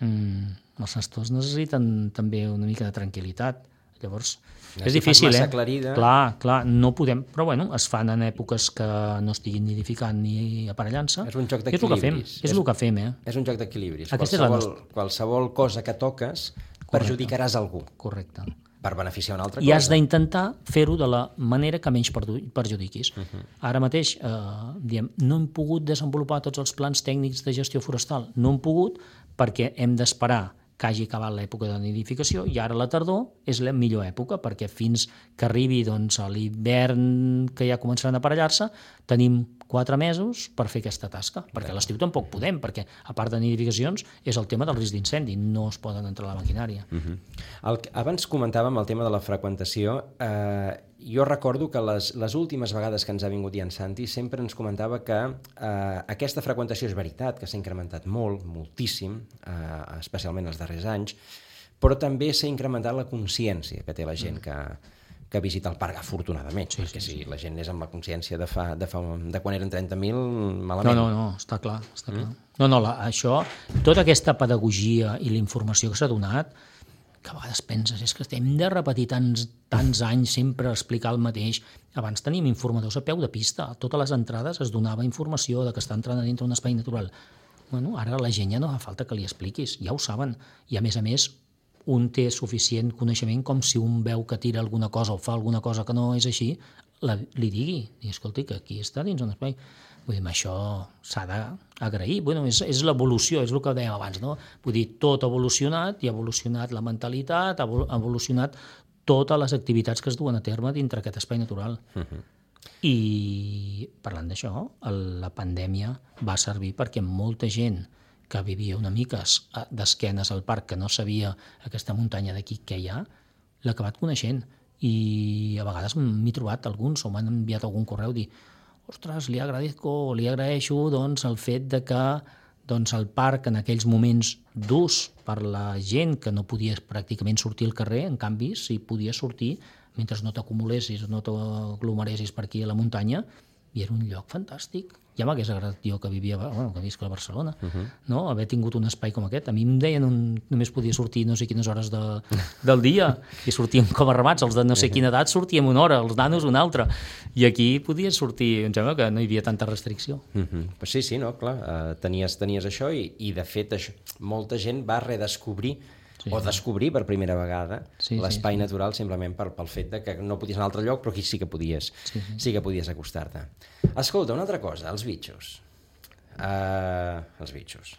B: els astors necessiten també una mica de tranquil·litat. Llavors, és difícil,
A: massa aclarida.
B: Clar, no podem, però es fan en èpoques que no estiguin nidificant ni aparellant-se.
A: És un joc d'equilibris.
B: És el que fem,
A: És un joc d'equilibris.
B: Qualsevol
A: cosa que toques perjudicaràs algú.
B: Correcte.
A: Per beneficiar una altra cosa.
B: I has d'intentar fer-ho de la manera que menys perjudiquis. Ara mateix, no hem pogut desenvolupar tots els plans tècnics de gestió forestal. No hem pogut perquè hem d'esperar que hagi acabat l'època de nidificació i ara la tardor és la millor època perquè fins que arribi a l'hivern que ja començaran a aparellar-se tenim 4 mesos per fer aquesta tasca, perquè a l'estiu tampoc podem, perquè a part de nidificacions és el tema del risc d'incendi, no es poden entrar a la maquinària.
A: Abans comentàvem el tema de la freqüentació. Jo recordo que les últimes vegades que ens ha vingut en Santi sempre ens comentava que aquesta freqüentació és veritat, que s'ha incrementat moltíssim, especialment els darrers anys, però també s'ha incrementat la consciència que té la gent, que visita el parc, afortunadament, perquè si la gent és amb la consciència de quan eren 30.000, malament.
B: No, està clar. Això, tota aquesta pedagogia i la informació que s'ha donat, que a vegades penses, és que hem de repetir tants anys sempre explicar el mateix. Abans tenim informadors a peu de pista, a totes les entrades es donava informació de que està entrant dintre un espai natural. Bueno, ara la gent ja no fa falta que li expliquis, ja ho saben, i a més, un té suficient coneixement com si un veu que tira alguna cosa o fa alguna cosa que no és així, li digui, escolti, que aquí està dins un espai. Vull dir, això s'ha d'agrair. Bueno, és l'evolució, és el que dèiem abans, no? Vull dir, tot ha evolucionat, i ha evolucionat la mentalitat, ha evolucionat totes les activitats que es duen a terme dintre aquest espai natural. I parlant d'això, la pandèmia va servir perquè molta gent que vivia una mica d'esquenes al parc, que no sabia aquesta muntanya d'aquí què hi ha, l'ha acabat coneixent. I a vegades m'he trobat alguns, o m'han enviat algun correu, dir ostres, li agraeixo el fet de que el parc en aquells moments durs per la gent que no podia pràcticament sortir al carrer, en canvi, si podia sortir mentre no t'acumulessis, no t'aglomeressis per aquí a la muntanya, i era un lloc fantàstic. Ja m'hagués agradat jo que visc a Barcelona, no? Haver tingut un espai com aquest. A mi em deien només podia sortir no sé quines hores del dia, i sortíem com a ramats, els de no sé quina edat sortíem una hora, els nanos una altra, i aquí podies sortir, em sembla que no hi havia tanta restricció.
A: Sí, no, clar, tenies això, i de fet molta gent va redescobrir o descobrir per primera vegada l'espai natural simplement pel fet de que no podies anar a un altre lloc, però aquí sí que podies acostar-te. Escolta, una altra cosa, els bitxos. Els bitxos.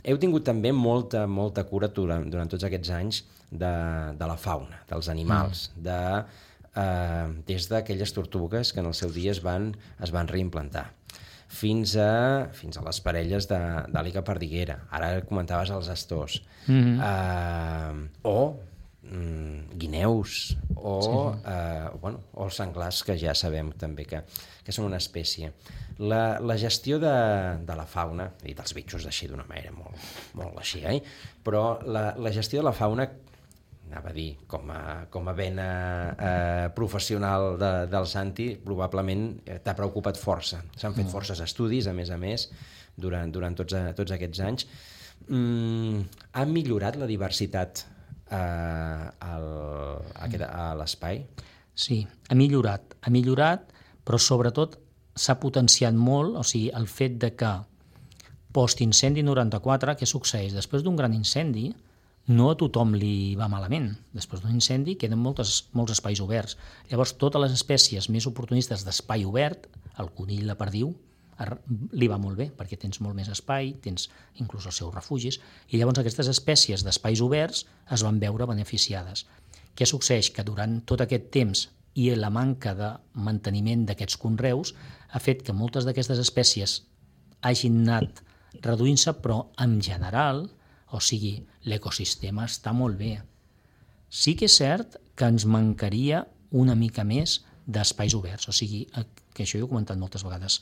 A: Heu tingut també molta cura durant tots aquests anys de la fauna, dels animals, des d'aquelles tortugues que en el seu dia es van reimplantar, fins a les parelles d'àliga perdiguera. Ara comentaves els astors. O guineus, o els senglars, que ja sabem també que són una espècie. La gestió de la fauna, i dels bitxos així d'una manera molt així, però la gestió de la fauna, anava a dir, com a vena professional del Santi, probablement t'ha preocupat força. S'han fet forces estudis, a més, durant tots aquests anys. Ha millorat la diversitat a l'espai?
B: Sí, ha millorat, però sobretot s'ha potenciat molt, o sigui, el fet de que post-incendi 94, què succeeix? Després d'un gran incendi, no a tothom li va malament. Després d'un incendi queden molts espais oberts. Llavors, totes les espècies més oportunistes d'espai obert, el conill, la perdiu, li va molt bé, perquè tens molt més espai, tens inclús els seus refugis, i llavors aquestes espècies d'espais oberts es van veure beneficiades. Què succeeix? Que durant tot aquest temps i la manca de manteniment d'aquests conreus ha fet que moltes d'aquestes espècies hagin anat reduint-se, però en general, o sigui, l'ecosistema està molt bé. Sí que és cert que ens mancaria una mica més d'espais oberts, o sigui, que això ho he comentat moltes vegades.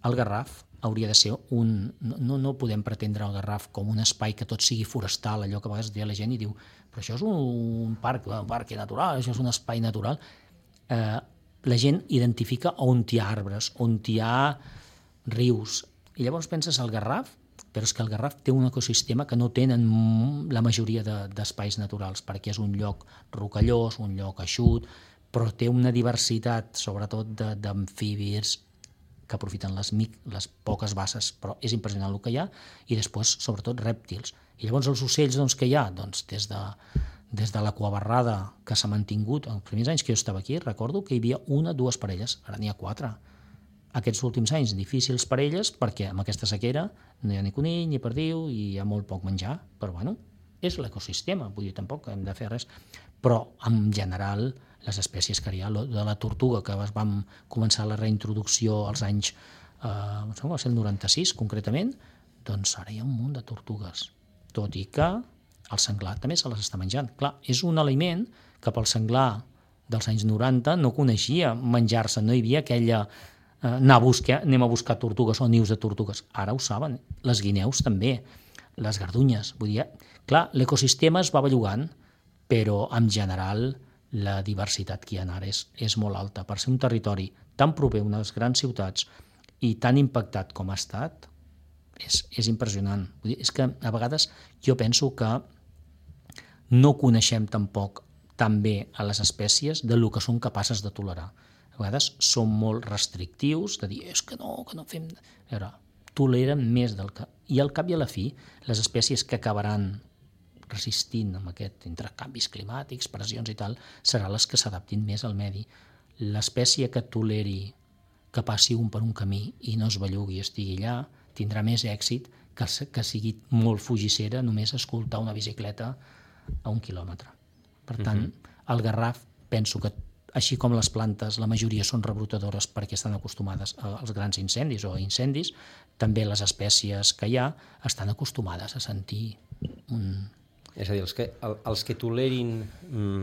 B: El Garraf hauria de ser no podem pretendre el Garraf com un espai que tot sigui forestal, allò que a vegades deia la gent i diu, però això és un parc natural, això és un espai natural. La gent identifica on hi ha arbres, on hi ha rius, i llavors penses al Garraf, però és que el Garraf té un ecosistema que no tenen la majoria d'espais naturals, perquè és un lloc rocallós, un lloc eixut, però té una diversitat, sobretot d'amfibis, que aprofiten les poques basses, però és impressionant el que hi ha, i després, sobretot, rèptils. I llavors els ocells que hi ha, des de l'aquabarrada que s'ha mantingut, els primers anys que jo estava aquí, recordo que hi havia 1 o 2 parelles, ara n'hi ha 4. Aquests últims anys difícils per elles, perquè amb aquesta sequera no hi ha ni conill ni perdiu i hi ha molt poc menjar, però bueno, és l'ecosistema, vull dir, tampoc hem de fer res. Però en general les espècies que hi ha, de la tortuga, que vam començar la reintroducció als anys, va ser el 96 concretament, doncs ara hi ha un munt de tortugues, tot i que el senglar també se les està menjant. Clar, és un aliment que pel senglar dels anys 90 no coneixia menjar-se, no hi havia aquella anem a buscar tortugues o nius de tortugues. Ara ho saben, les guineus també, les gardunyes. Vull dir, clar, l'ecosistema es va bellugant però en general la diversitat que hi ha ara és molt alta. Per ser un territori tan proper a unes grans ciutats i tan impactat com ha estat, és impressionant. Vull dir, és que a vegades jo penso que no coneixem tampoc tan bé a les espècies del que són capaces de tolerar. A vegades som molt restrictius de dir, és que no fem... A veure, toleren més del que... I al cap i a la fi, les espècies que acabaran resistint amb aquest intercanvis climàtics, pressions i tal, seran les que s'adaptin més al medi. L'espècie que toleri que passi un per un camí i no es bellugui i estigui allà, tindrà més èxit que sigui molt fugissera només escoltar una bicicleta a 1 quilòmetre. Per tant, el garraf, penso que així com les plantes, la majoria són rebrotadores perquè estan acostumades als grans incendis o a incendis, també les espècies que hi ha estan acostumades a sentir un...
A: És a dir, els que tolerin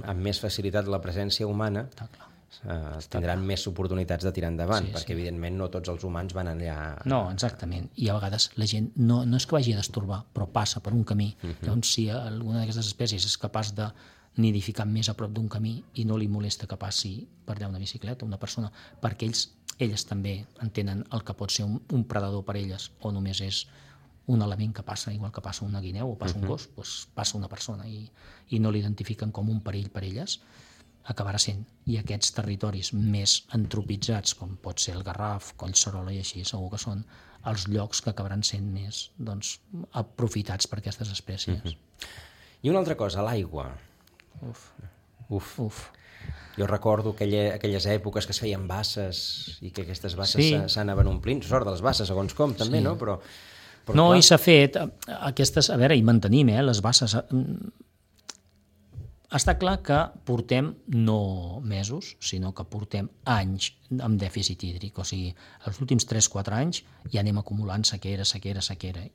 A: amb més facilitat la presència humana tindran més oportunitats de tirar endavant, perquè evidentment no tots els humans van allà...
B: No, exactament. I a vegades la gent no és que vagi a destorbar, però passa per un camí. Llavors, si alguna d'aquestes espècies és capaç de nidificar més a prop d'un camí i no li molesta que passi per allà una bicicleta, una persona, perquè elles també entenen el que pot ser un predador per elles, o només és un element que passa, igual que passa una guineu o passa un gos, doncs passa una persona i no l'identifiquen com un perill per elles, acabarà sent. I aquests territoris més antropitzats, com pot ser el Garraf, Collserola i així, segur que són els llocs que acabaran sent més aprofitats per aquestes espècies.
A: I una altra cosa, l'aigua. Uf. Jo recordo aquelles èpoques que es feien basses i que aquestes basses s'anaven omplint. Sort de les basses, segons com, també, no? Però
B: no, i s'ha fet aquestes... A veure, i mantenim, les basses... Està clar que portem no mesos, sinó que portem anys amb dèficit hídric. O sigui, els últims 3-4 anys ja anem acumulant sequera.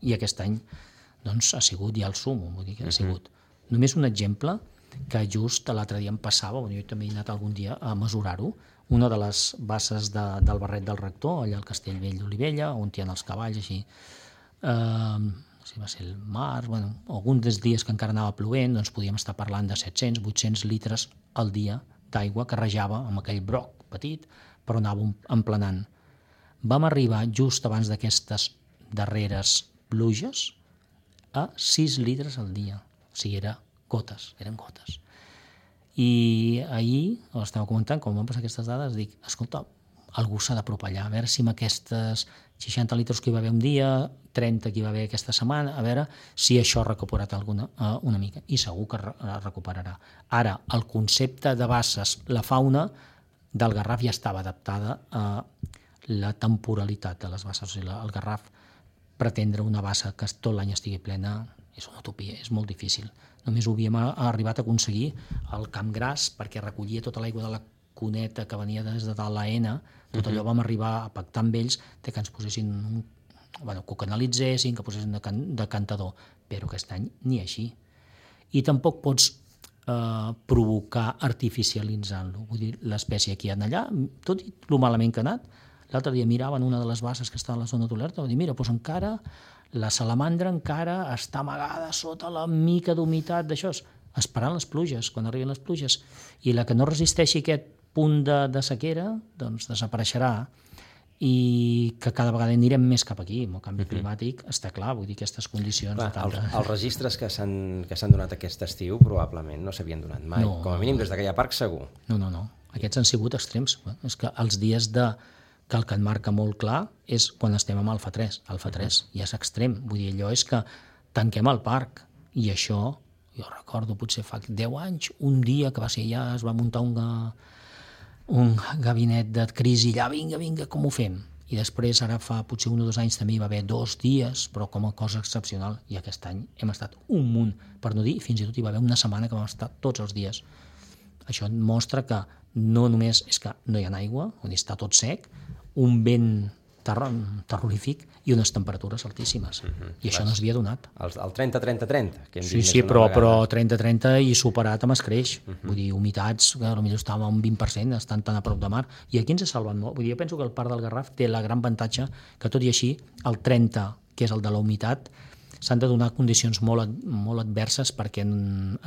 B: I aquest any doncs, ha sigut ja el súmmum, vull dir que ha sigut. Només un exemple que just l'altre dia em passava, jo també he anat algun dia a mesurar-ho, una de les basses del Barret del Rector, allà al Castellvell d'Olivella, on hi ha els cavalls, així, si va ser el març, alguns dels dies que encara anava plovent, doncs podíem estar parlant de 700-800 litres al dia d'aigua que rajava amb aquell broc petit, però anava emplenant. Vam arribar just abans d'aquestes darreres pluges a 6 litres al dia. O sigui, eren gotes. I ahir, estava comentant, com van passar aquestes dades, dic, escolta, algú s'ha d'apropar allà, a veure si amb aquestes 60 litres que hi va haver un dia, 30 que hi va haver aquesta setmana, a veure si això ha recuperat una mica. I segur que recuperarà. Ara, el concepte de basses, la fauna del Garraf ja estava adaptada a la temporalitat de les basses. O sigui, el Garraf, pretendre una bassa que tot l'any estigui plena és una utopia, és molt difícil. Només ho havíem arribat a aconseguir al Camp Gras, perquè recollia tota l'aigua de la cuneta que venia des de l'AENA, tot allò vam arribar a pactar amb ells que ens posessin, que ho canalitzessin, que posessin decantador, però aquest any ni així. I tampoc pots provocar artificialitzant-lo. Vull dir, l'espècie que hi ha allà, tot i el malament que ha anat, l'altre dia miraven una de les basses que està a la zona d'Olerta, va dir, mira, doncs encara la salamandra encara està amagada sota la mica d'humitat d'això, esperant les pluges, quan arriben les pluges, i la que no resisteixi aquest punt de sequera, doncs desapareixerà, i que cada vegada anirem més cap aquí, amb el canvi climàtic, està clar, vull dir, aquestes condicions...
A: Els registres que s'han donat aquest estiu probablement no s'havien donat mai, com a mínim des que hi ha parc segur.
B: No, aquests han sigut extrems. És que els dies que el que et marca molt clar és quan estem amb Alfa 3. Alfa 3 ja és extrem. Vull dir, allò és que tanquem el parc. I això, jo recordo, potser fa 10 anys, un dia que va ser allà, es va muntar un gabinet de crisi allà, vinga, com ho fem? I després, ara fa potser 1 o 2 anys, també hi va haver 2 dies, però com a cosa excepcional. I aquest any hem estat un munt, per no dir, fins i tot hi va haver una setmana que vam estar tots els dies. Això mostra que no només és que no hi ha aigua, on està tot sec, un vent terrorífic i unes temperatures altíssimes. I això no s'havia donat.
A: El 30-30-30.
B: Sí, però 30-30 i superat amb escreix. Vull dir, humitats, que potser estàvem a un 20%, estan tan a prop de mar. I aquí ens ha salvat molt. Vull dir, jo penso que el parc del Garraf té la gran avantatge que, tot i així, el 30, que és el de la humitat, s'han de donar condicions molt adverses perquè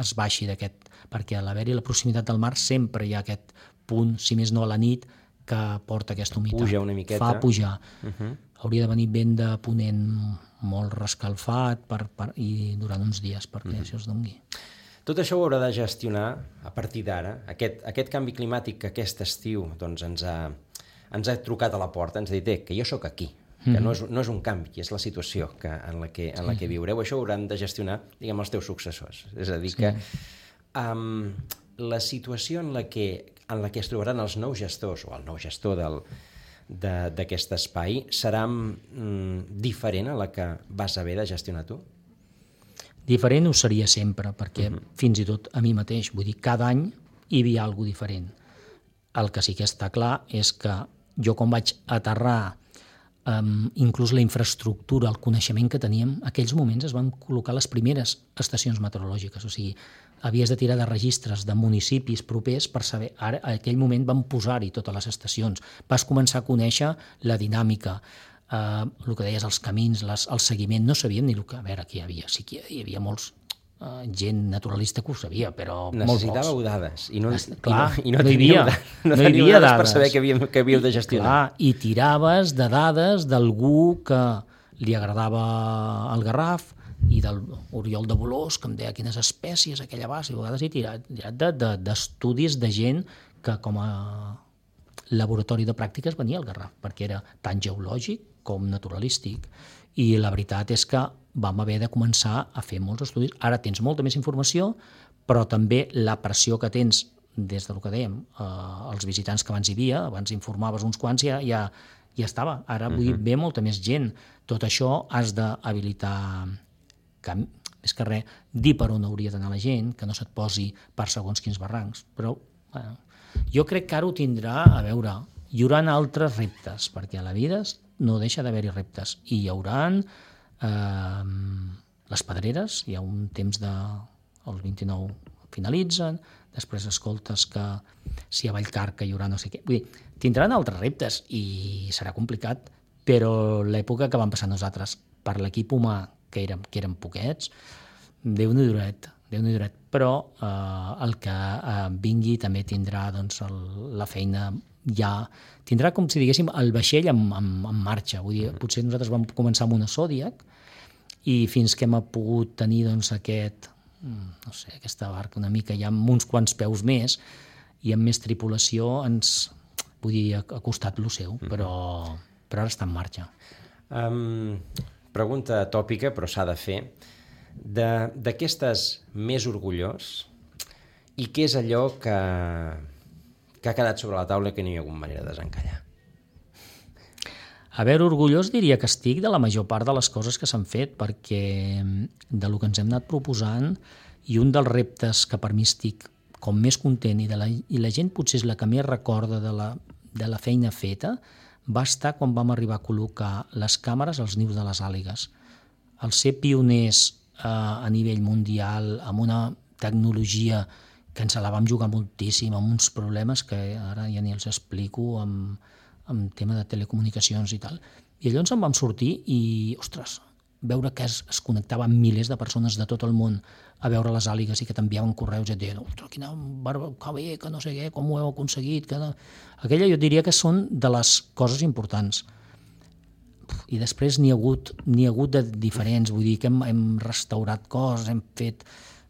B: es baixi d'aquest, perquè a l'haver-hi la proximitat del mar sempre hi ha aquest punt, si més no a la nit, que porta aquesta humitat.
A: Puja una miqueta.
B: Fa pujar. Hauria de venir vent de ponent molt rescalfat i durant uns dies perquè això es dongui.
A: Tot això ho haurà de gestionar a partir d'ara. Aquest canvi climàtic que aquest estiu doncs, ens ha trucat a la porta, ens ha dit que jo sóc aquí, que no és un canvi, és la situació en la que viureu. Això ho hauran de gestionar, diguem, els teus successors. És a dir, que la situació en la que es trobaran els nous gestors, o el nou gestor d'aquest espai, serà diferent a la que vas haver de gestionar tu?
B: Diferent ho seria sempre, perquè fins i tot a mi mateix, vull dir, cada any hi havia alguna cosa diferent. El que sí que està clar és que jo quan vaig aterrar, inclús la infraestructura, el coneixement que teníem, en aquells moments es van col·locar les primeres estacions meteorològiques, o sigui, havies de tirar de registres de municipis propers per saber, ara en aquell moment van posar-hi totes les estacions, vas començar a conèixer la dinàmica, el que deies, els camins, el seguiment, no sabíem ni el que... A veure, aquí sí que hi havia molts gent naturalista que ho sabia, però
A: necessitàveu dades i no
B: hi havia dades
A: per saber què havíeu de gestionar.
B: Clar, i tiraves de dades d'algú que li agradava el Garraf i del Oriol de Bolós, que em deia quines espècies aquella base, i a vegades he tirat d'estudis de gent que com a laboratori de pràctiques venia al Garraf, perquè era tant geològic com naturalístic. I la veritat és que vam haver de començar a fer molts estudis. Ara tens molta més informació, però també la pressió que tens des del que dèiem, els visitants que abans hi havia, abans informaves uns quants, ja estava. Ara ve molta més gent. Tot això has d'habilitar, més que res, dir per on hauria d'anar la gent, que no se't posi per segons quins barrancs. Però jo crec que ara ho tindrà, a veure, hi haurà altres reptes, perquè a la vida no deixa d'haver-hi reptes, i hi haurà les pedreres, hi ha un temps el 29 finalitzen, després escoltes que si a Vallcarca hi haurà no sé què, vull dir, tindran altres reptes i serà complicat, però l'època que vam passar nosaltres per l'equip humà, que érem poquets, Déu-n'hi duret, però el que vingui també tindrà doncs, la feina ja tindrà, com si diguéssim, el vaixell en marxa. Vull dir, potser nosaltres vam començar amb una Zodiac i fins que hem pogut tenir doncs, aquesta barca una mica ja amb uns quants peus més i amb més tripulació ha costat lo seu, però ara està en marxa.
A: Pregunta tòpica, però s'ha de fer. De què estàs més orgullós i què és allò que ha quedat sobre la taula que no hi ha hagut manera de desencallar?
B: A veure, orgullós diria que estic de la major part de les coses que s'han fet, perquè de lo que ens hem anat proposant, i un dels reptes que per mi estic com més content i la gent potser és la que més recorda de la feina feta, va estar quan vam arribar a col·locar les càmeres als nius de les àligues. El ser pioners a nivell mundial, amb una tecnologia que ens la vam jugar moltíssim, amb uns problemes que ara ja ni els explico, amb tema de telecomunicacions i tal. I llavors en vam sortir i, ostres, veure que es connectaven milers de persones de tot el món a veure les àligues i que t'enviaven correus i et deien, ostres, quina barba, que bé, que no sé què, com ho heu aconseguit. Aquella jo diria que són de les coses importants. I després n'hi ha hagut de diferents, vull dir que hem restaurat coses, hem fet,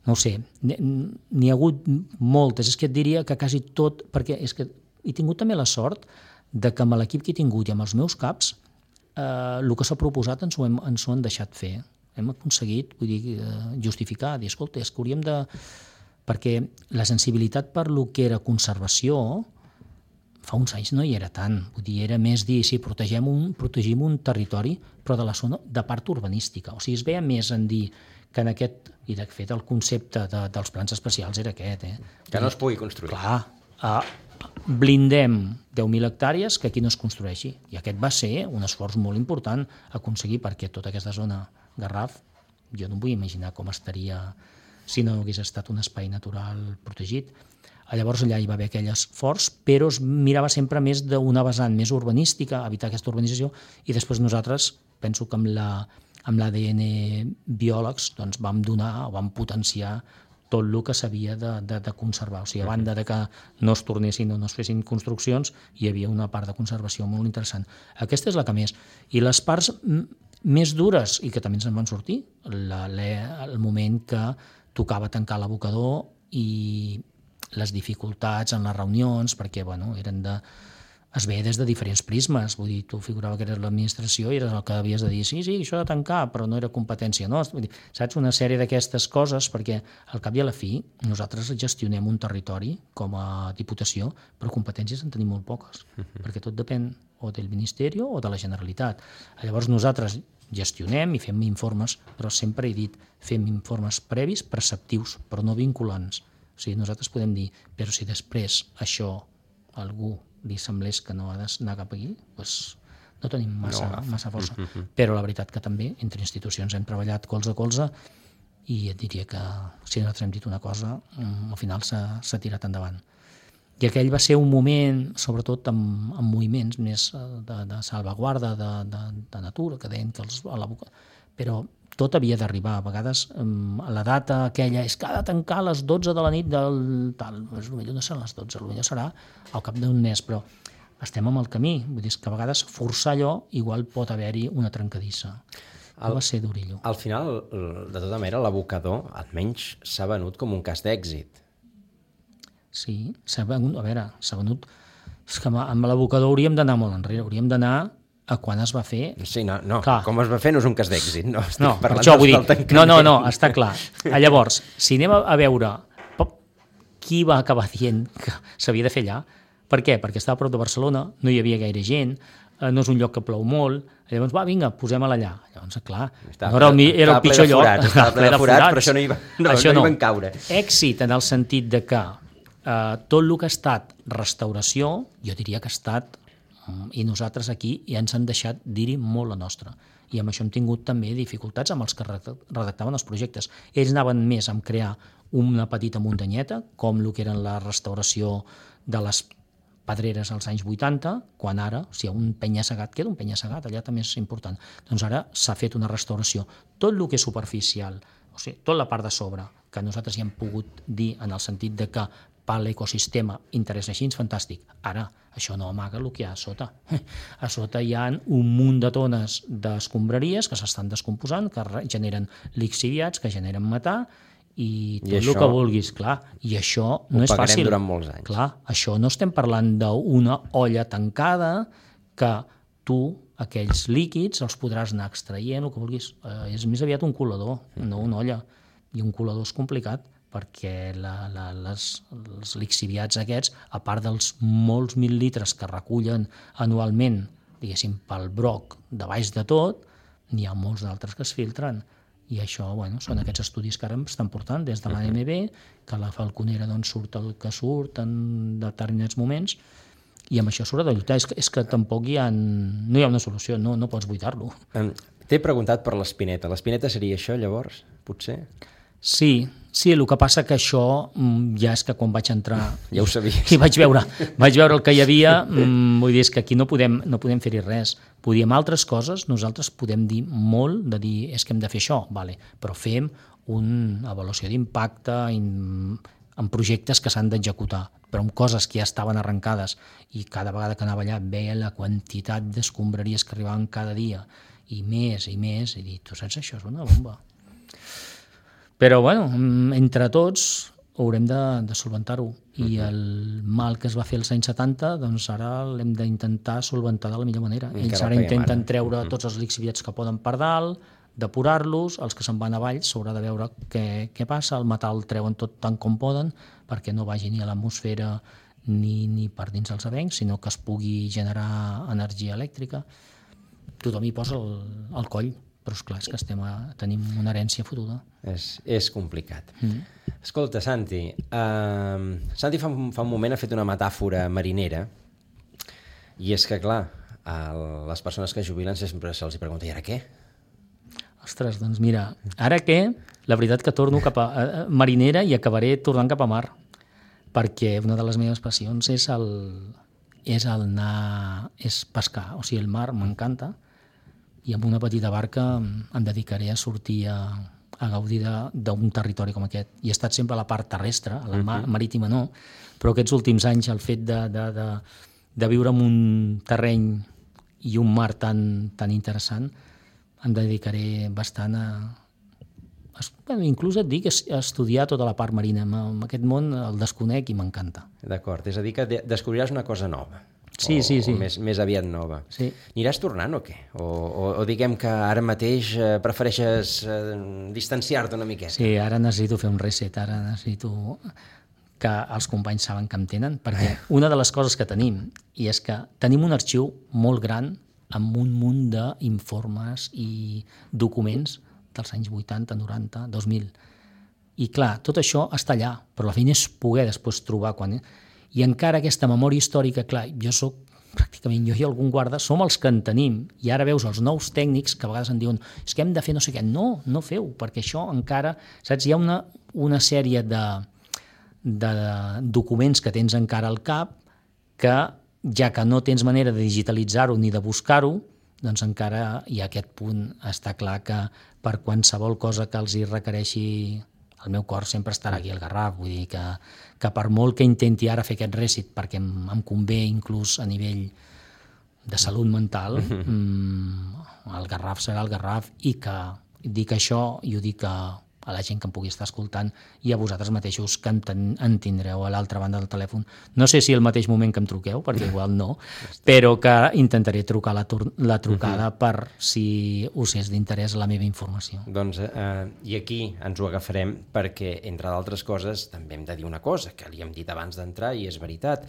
B: no ho sé, n'hi ha hagut moltes. És que et diria que quasi tot, perquè és que he tingut també la sort de que amb l'equip que he tingut i amb els meus caps, el que s'ha proposat ens ho han deixat fer. Hem aconseguit, vull dir, justificar, dir, escolta, és que hauríem de... Perquè la sensibilitat per lo que era conservació fa uns anys no hi era tant. Vull dir, era més dir, sí, protegim un territori, però de la zona de part urbanística. O sigui, es veia més en dir que en aquest... I de fet el concepte dels plans especials era aquest.
A: Que no es pugui construir.
B: Clar, blindem 10.000 hectàrees que aquí no es construeixi. I aquest va ser un esforç molt important aconseguir, perquè tota aquesta zona Garraf, jo no em vull imaginar com estaria si no hagués estat un espai natural protegit. Llavors allà hi va haver aquell esforç, però es mirava sempre més d'una vessant més urbanística, evitar aquesta urbanització, i després nosaltres, penso que amb amb l'ADN biòlegs doncs vam donar o vam potenciar tot el que s'havia de conservar. O sigui, a banda de que no es tornessin o no es fessin construccions, hi havia una part de conservació molt interessant. Aquesta és la que més. I les parts més dures, i que també ens en van sortir, el moment que tocava tancar l'abocador i les dificultats en les reunions, perquè eren es veia des de diferents prismes, vull dir, tu figurava que eres l'administració i eres el que havies de dir, sí, això ha de tancar, però no era competència nostra. Vull dir, saps, una sèrie d'aquestes coses, perquè al cap i a la fi nosaltres gestionem un territori com a Diputació, però competències en tenim molt poques, perquè tot depèn o del Ministeri o de la Generalitat. Llavors nosaltres gestionem i fem informes, però sempre he dit, fem informes previs, preceptius, però no vinculants. O sigui, nosaltres podem dir, però si després això algú li semblés que no ha d'anar cap aquí, doncs no tenim massa força. Però la veritat que també entre institucions hem treballat colze a colze i et diria que si nosaltres hem dit una cosa, al final s'ha tirat endavant. I aquell va ser un moment, sobretot amb moviments més de salvaguarda, de natura, que deien que però tot havia d'arribar. A vegades la data aquella és que ha de tancar a les 12 de la nit del tal. Potser no seran les 12, potser serà al cap d'un mes, però estem en el camí. Vull dir que a vegades forçar allò igual pot haver-hi una trencadissa. Va ser d'orillo.
A: Al final, de tota manera, l'abocador almenys s'ha venut com un cas d'èxit.
B: Sí, s'ha venut... És que amb l'abocador hauríem d'anar molt enrere, hauríem d'anar a quan es va fer...
A: Sí, no, com es va fer no és un cas d'èxit. No,
B: per això vull dir... No, està clar. Llavors, si anem a veure qui va acabar dient que s'havia de fer allà, per què? Perquè estava a prop de Barcelona, no hi havia gaire gent, no és un lloc que plou molt, llavors, vinga, posem-la allà. Llavors, clar, era el pitjor lloc.
A: Estava ple de forats, però això no hi van caure.
B: Èxit en el sentit de que tot el que ha estat restauració, jo diria que ha estat, i nosaltres aquí ja ens han deixat dir-hi molt la nostra. I amb això hem tingut també dificultats amb els que redactaven els projectes. Ells anaven més a crear una petita muntanyeta, com el que era la restauració de les pedreres als anys 80, quan ara, si hi ha un penya-segat, queda un penya-segat, allà també és important. Doncs ara s'ha fet una restauració. Tot el que és superficial, o sigui, tota la part de sobre, que nosaltres hi hem pogut dir en el sentit de que per l'ecosistema interessa així, fantàstic. Ara, això no amaga el que hi ha a sota. A sota hi ha un munt de tones d'escombraries que s'estan descomposant, que generen lixiviats, que generen metà, i tot el que vulguis, clar. I això no és fàcil.
A: Ho pagarem durant molts anys.
B: Clar, això no estem parlant d'una olla tancada que tu, aquells líquids, els podràs anar extraient, el que vulguis. És més aviat un colador, no una olla. I un colador és complicat, perquè els lixiviats aquests, a part dels molts mil litres que recullen anualment, diguéssim, pel broc de baix de tot, n'hi ha molts d'altres que es filtren. I això, són aquests estudis que ara estan portant des de l'AMB, que la Falconera surt el que surt en determinats moments, i amb això s'haurà de lluitar. És que tampoc no hi ha una solució, no pots buidar-lo.
A: T'he preguntat per l'espineta. L'espineta seria això, llavors, potser?
B: Sí, el que passa que això ja és que quan vaig entrar...
A: Ja ho sabies.
B: I vaig veure el que hi havia, vull dir, és que aquí no podem fer-hi res. Podíem altres coses, nosaltres podem dir molt, de dir, és que hem de fer això, vale, però fem una avaluació d'impacte en projectes que s'han d'executar, però amb coses que ja estaven arrencades, i cada vegada que anava allà veia la quantitat d'escombraries que arribaven cada dia, i més, i dic, tu saps, això és una bomba. Però, entre tots haurem de solventar-ho. I el mal que es va fer als anys 70, doncs ara l'hem d'intentar solventar de la millor manera. Ells ara intenten treure tots els lixiviats que poden per dalt, depurar-los, els que se'n van avall s'haurà de veure què passa, el metal el treuen tot tant com poden, perquè no vagi ni a l'atmosfera ni per dins els avencs, sinó que es pugui generar energia elèctrica. Tothom hi posa el coll. Però esclar, és que tenim una herència fotuda.
A: És complicat. Escolta, Santi, Santi fa un moment ha fet una metàfora marinera, i és que, clar, les persones que jubilen sempre se'ls pregunta, i ara què?
B: Ostres, doncs mira, ara què? La veritat que torno cap a marinera i acabaré tornant cap a mar, perquè una de les meves passions és pescar, o sigui, el mar m'encanta, i amb una petita barca em dedicaré a sortir a gaudir d'un territori com aquest. I he estat sempre a la part terrestre, a la marítima no, però aquests últims anys el fet de viure en un terreny i un mar tan interessant em dedicaré bastant inclús et dic a estudiar tota la part marina. En aquest món el desconec i m'encanta.
A: D'acord, és a dir que descobriràs una cosa nova.
B: Sí.
A: O més aviat nova.
B: Sí.
A: Aniràs tornant o què? O diguem que ara mateix prefereixes distanciar-te una miqueta?
B: Sí, ara necessito fer un reset, ara necessito que els companys saben que em tenen, perquè una de les coses que tenim, i és que tenim un arxiu molt gran amb un munt d'informes i documents dels anys 80, 90, 2000. I clar, tot això està allà, però la feina és poder després trobar quan... I encara aquesta memòria històrica, clar, pràcticament jo i algun guarda, som els que en tenim, i ara veus els nous tècnics que a vegades en diuen és que hem de fer no sé què. No feu, perquè això encara... Saps? Hi ha una sèrie de documents que tens encara al cap que, ja que no tens manera de digitalitzar-ho ni de buscar-ho, doncs encara hi ha aquest punt. Està clar que per qualsevol cosa que els hi requereixi, el meu cor sempre estarà aquí al Garraf. Vull dir que per molt que intenti ara fer aquest reset, perquè em convé inclús a nivell de salut mental, el Garraf serà el Garraf, i que dic això i ho dic a la gent que em pugui estar escoltant i a vosaltres mateixos que en tindreu a l'altra banda del telèfon. No sé si al mateix moment que em truqueu, perquè igual no, però que intentaré trucar la trucada per si us és d'interès la meva informació.
A: Doncs, i aquí ens ho agafarem perquè, entre d'altres coses, també hem de dir una cosa que li hem dit abans d'entrar i és veritat.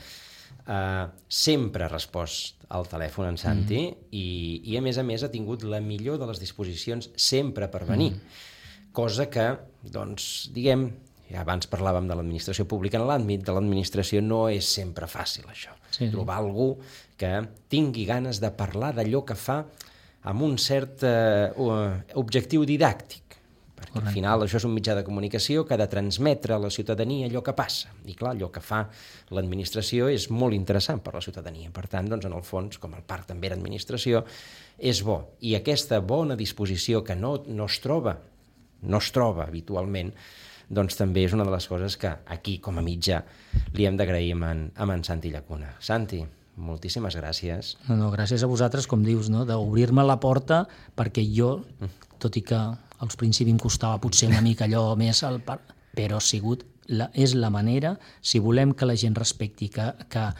A: Sempre ha respost al telèfon en Santi i a més ha tingut la millor de les disposicions sempre per venir. Cosa que, doncs, diguem, ja abans parlàvem de l'administració pública, en l'àmbit de l'administració no és sempre fàcil, això. Sí. Trobar algú que tingui ganes de parlar d'allò que fa amb un cert objectiu didàctic. Perquè al final això és un mitjà de comunicació que ha de transmetre a la ciutadania allò que passa. I clar, allò que fa l'administració és molt interessant per a la ciutadania. Per tant, doncs, en el fons, com el parc també era administració, és bo. I aquesta bona disposició que no es troba habitualment, doncs també és una de les coses que aquí, com a mitjà, li hem d'agrair amb en Santi Llacuna. Santi, moltíssimes gràcies.
B: No, gràcies a vosaltres, com dius, no? D'obrir-me la porta, perquè jo, tot i que al principi em costava potser una mica allò més, però és la manera, si volem que la gent respecti, que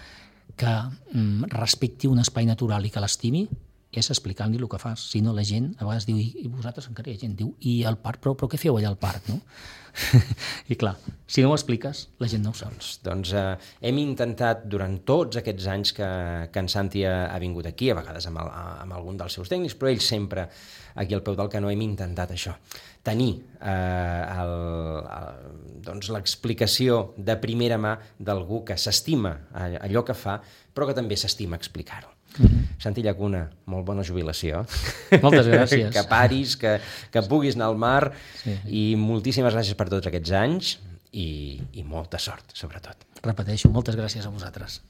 B: respecti un espai natural i que l'estimi, és explicant-li el que fas. Si no, la gent a vegades diu, i vosaltres encara hi ha gent, diu, i al parc, però què feu allà al parc, no? I clar, si no ho expliques, la gent no ho sap.
A: Doncs hem intentat durant tots aquests anys que en Santi ha vingut aquí, a vegades amb algun dels seus tècnics, però ell sempre aquí al peu del canó hem intentat això, tenir l'explicació de primera mà d'algú que s'estima allò que fa, però que també s'estima explicar-ho. Santi Llacuna, molt bona jubilació.
B: Moltes gràcies.
A: Que paris, que puguis anar al mar, i moltíssimes gràcies per tots aquests anys i molta sort, sobretot.
B: Repeteixo, moltes gràcies a vosaltres.